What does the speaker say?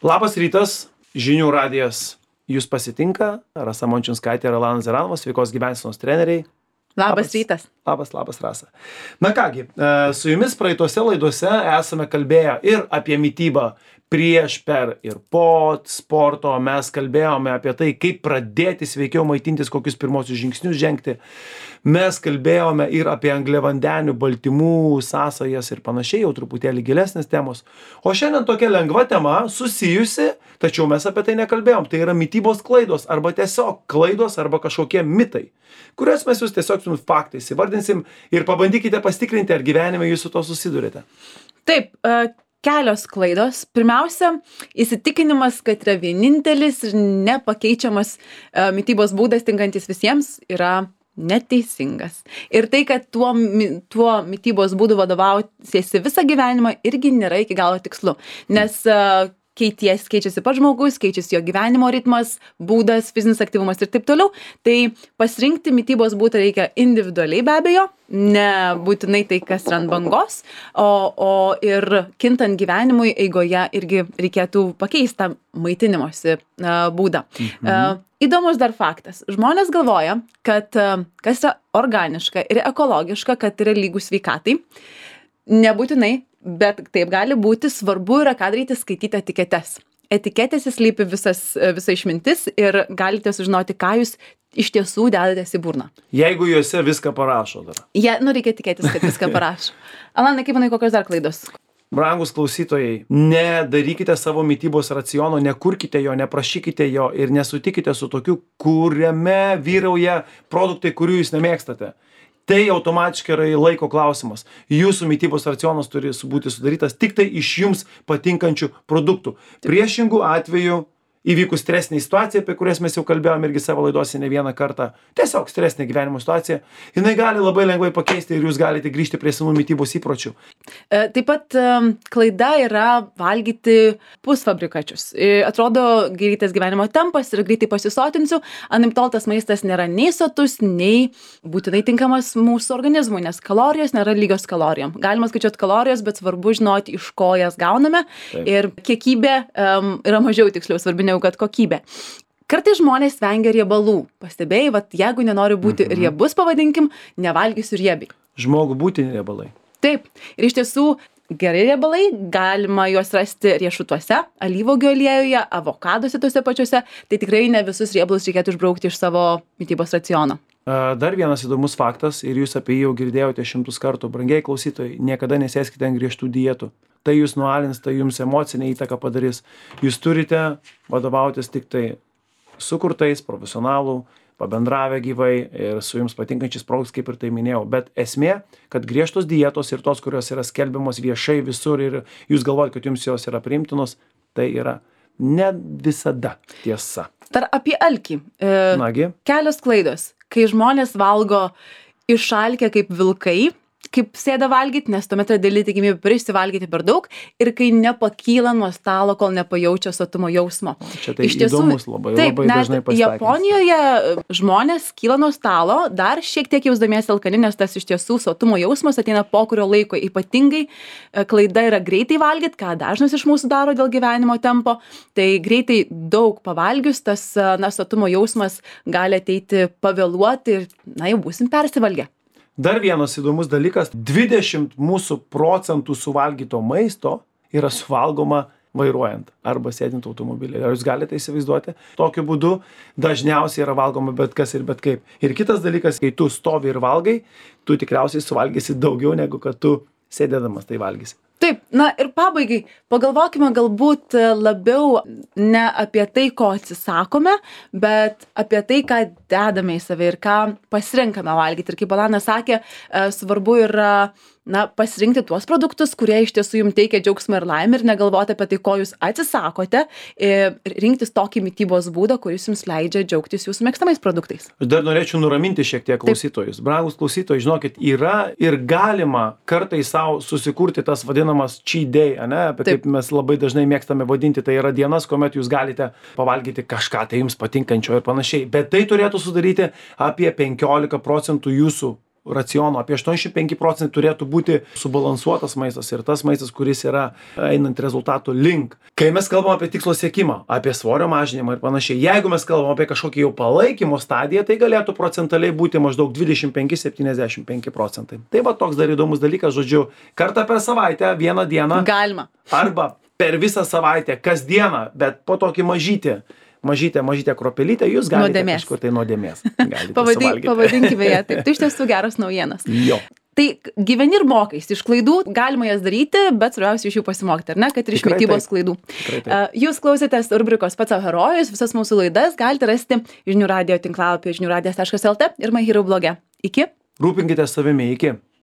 Labas rytas, žinių radijas jūs pasitinka, Rasa Mončinskaitė ir Alanas Zeranovas, sveikos gyvensenos treneriai. Labas rytas. Labas, Rasa. Na kągi, su jumis praeitose laidose esame kalbėję ir apie mitybą prieš, per ir po sporto. Mes kalbėjome apie tai, kaip pradėti sveikiau maitintis, kokius pirmosius žingsnius žengti. Mes kalbėjome ir apie angliavandenių, baltymų, sąsajas ir panašiai, jau truputėlį gilesnės temos. O šiandien tokia lengva tema, susijusi, tačiau mes apie tai nekalbėjom. Tai yra mitybos klaidos, arba tiesiog klaidos, arba kažkokie mitai, kuriuos mes jūs tiesiog jums faktais įvardinsim ir pabandykite pasitikrinti, ar gyvenime jūs su to susidurite. Taip, kelios klaidos. Pirmiausia, įsitikinimas, kad yra vienintelis ir nepakeičiamas mitybos būdas tinkantis visiems, yra neteisingas. Ir tai, kad tuo mitybos būdu vadovausiesi visą gyvenimą, irgi nėra iki galo tikslu. Nes keičiasi pats žmogus, keičiasi jo gyvenimo ritmas, būdas, fizinis aktyvumas ir taip toliau. Tai pasirinkti mitybos būdą reikia individualiai be abejo, nebūtinai tai, kas yra ant bangos, o ir kintant gyvenimui eigoje irgi reikėtų pakeisti tą maitinimosi būdą. Įdomus dar faktas. Žmonės galvoja, kad kas yra organiška ir ekologiška, kad yra lygų sveikatai. Nebūtinai, bet taip gali būti. Svarbu yra ką daryti, skaityti etiketes. Etiketėse slypi visa išmintis ir galite sužinoti, ką jūs iš tiesų dedatės į burną. Jeigu juose viską parašo dar. Reikia tikėtis, kad viską parašo. Alanai, kaip manai, kokios dar klaidos? Brangus klausytojai, nedarykite savo mitybos raciono, nekurkite jo, neprašykite jo ir nesutikite su tokiu, kuriame vyrauja produktai, kurių jūs nemėgstate. Tai automatiškai yra laiko klausimas. Jūsų mitybos racionas turi būti sudarytas tik tai iš jums patinkančių produktų. Priešingų atveju įvykus stresinė situacija, apie kurias mes jau kalbėjome irgi savo laidose ne vieną kartą, tiesiog stresinė gyvenimo situacija, jinai gali labai lengvai pakeisti ir jūs galite grįžti prie senų mitybos įpročių. Taip pat klaida yra valgyti pusfabrikačius. Atrodo, greitas gyvenimo tempas ir greitai pasisotinsiu, anaiptol tas maistas nėra nei sotus, nei būtinai tinkamas mūsų organizmui, nes kalorijos nėra lygios kalorijom. Galima skaičiuoti kalorijas, bet svarbu žinoti, iš ko jas gauname. Taip. Ir kiekybė yra mažiau tiksliau svarbi negu kad kokybė. Kartais žmonės vengia riebalų. Pastebėjai, jeigu nenori būti riebus, pavadinkim, nevalgysiu riebiai. Žmogų būtini riebalai. Taip. Ir iš tiesų geri riebalai, galima juos rasti riešutuose, alyvuogių aliejuje, avokaduose tuose pačiuose. Tai tikrai ne visus riebalus reikėtų išbraukti iš savo mitybos raciono. Dar vienas įdomus faktas, ir jūs apie jį jau girdėjote 100 kartų. Brangiai klausytojai, niekada nesėskite ant griežtų dietų. Tai jūs nualins, tai jums emocinę įtaką padarys. Jūs turite vadovautis tik tai sukurtais, profesionalų, pabendravę gyvai ir su jums patinkančiais produktais, kaip ir tai minėjau. Bet esmė, kad griežtos dietos ir tos, kurios yra skelbiamos viešai visur ir jūs galvojate, kad jums jos yra priimtinos, tai yra ne visada tiesa. Dar apie alkį. Nagi. Kelios klaidos. Kai žmonės valgo išalkę kaip vilkai, kaip sėda valgyti, nes tuomet yra didelė tikimybė prisivalgyti per daug ir kai nepakyla nuo stalo, kol nepajaučia sotumo jausmo. Čia tai iš tiesų, įdomus labai dažnai pasitaikys. Japonijoje žmonės kyla nuo stalo, dar šiek tiek jausdamiesi alkani, nes tas iš tiesų sotumo jausmas ateina po kurio laiko. Ypatingai klaida yra greitai valgyti, ką dažnas iš mūsų daro dėl gyvenimo tempo. Tai greitai daug pavalgius, tas sotumo jausmas gali ateiti pavėluoti ir jau būsim persivalgę. Dar vienas įdomus dalykas, 20% mūsų suvalgyto maisto yra suvalgoma vairuojant arba sėdint automobilį. Ar jūs galite įsivaizduoti? Tokiu būdu dažniausiai yra valgoma bet kas ir bet kaip. Ir kitas dalykas, kai tu stovi ir valgai, tu tikriausiai suvalgysi daugiau negu kad tu sėdėdamas tai valgysi. Taip, ir pabaigai, pagalvokime galbūt labiau ne apie tai, ko atsisakome, bet apie tai, ką dedame į save ir ką pasirenkame valgyti. Ir kaip Alanas sakė, svarbu yra pasirinkti tuos produktus, kurie iš tiesų jums teikia džiaugsmą ir laimę ir negalvoti apie tai, ko jūs atsisakote, ir rinktis tokį mitybos būdą, kuris jums leidžia džiaugtis jūsų mėgstamais produktais. Aš dar norėčiau nuraminti šiek tiek klausytojus. Brangus klausytojai, žinokit, yra ir galima kartais savo susikurti tas vadinamas cheat day, apie kaip mes labai dažnai mėgstame vadinti, tai yra dienas, kuomet jūs galite pavalgyti kažką tai jums patinkančio ir panašiai. Bet tai turėtų sudaryti apie 15% jūsų raciono apie 85% turėtų būti subalansuotas maistas ir tas maistas, kuris yra einant rezultatų link. Kai mes kalbam apie tikslo siekimą, apie svorio mažinimą ir panašiai, jeigu mes kalbam apie kažkokį jau palaikymo stadiją, tai galėtų procentaliai būti maždaug 25-75 procentai. Tai va toks dar įdomus dalykas, žodžiu, kartą per savaitę, vieną dieną. Galima. Arba per visą savaitę, kasdieną, bet po tokį mažytę kropelytę, jūs galite kažkur tai nuodėmės. Pavadinkime ją taip. Tai iš tiesų geros naujienos. Jo. Tai gyveni ir mokais. Iš klaidų galima jas daryti, bet svarbiausia iš jų pasimokyti, ar ne? Kad ir iš mitybos klaidų. Jūs klausėtės rubrikos Pats savo herojus. Visas mūsų laidas galite rasti žinių radijo tinklalapyje žiniųradijas.lt ir My Hero bloge. Iki. Rūpinkitės savimi. Iki.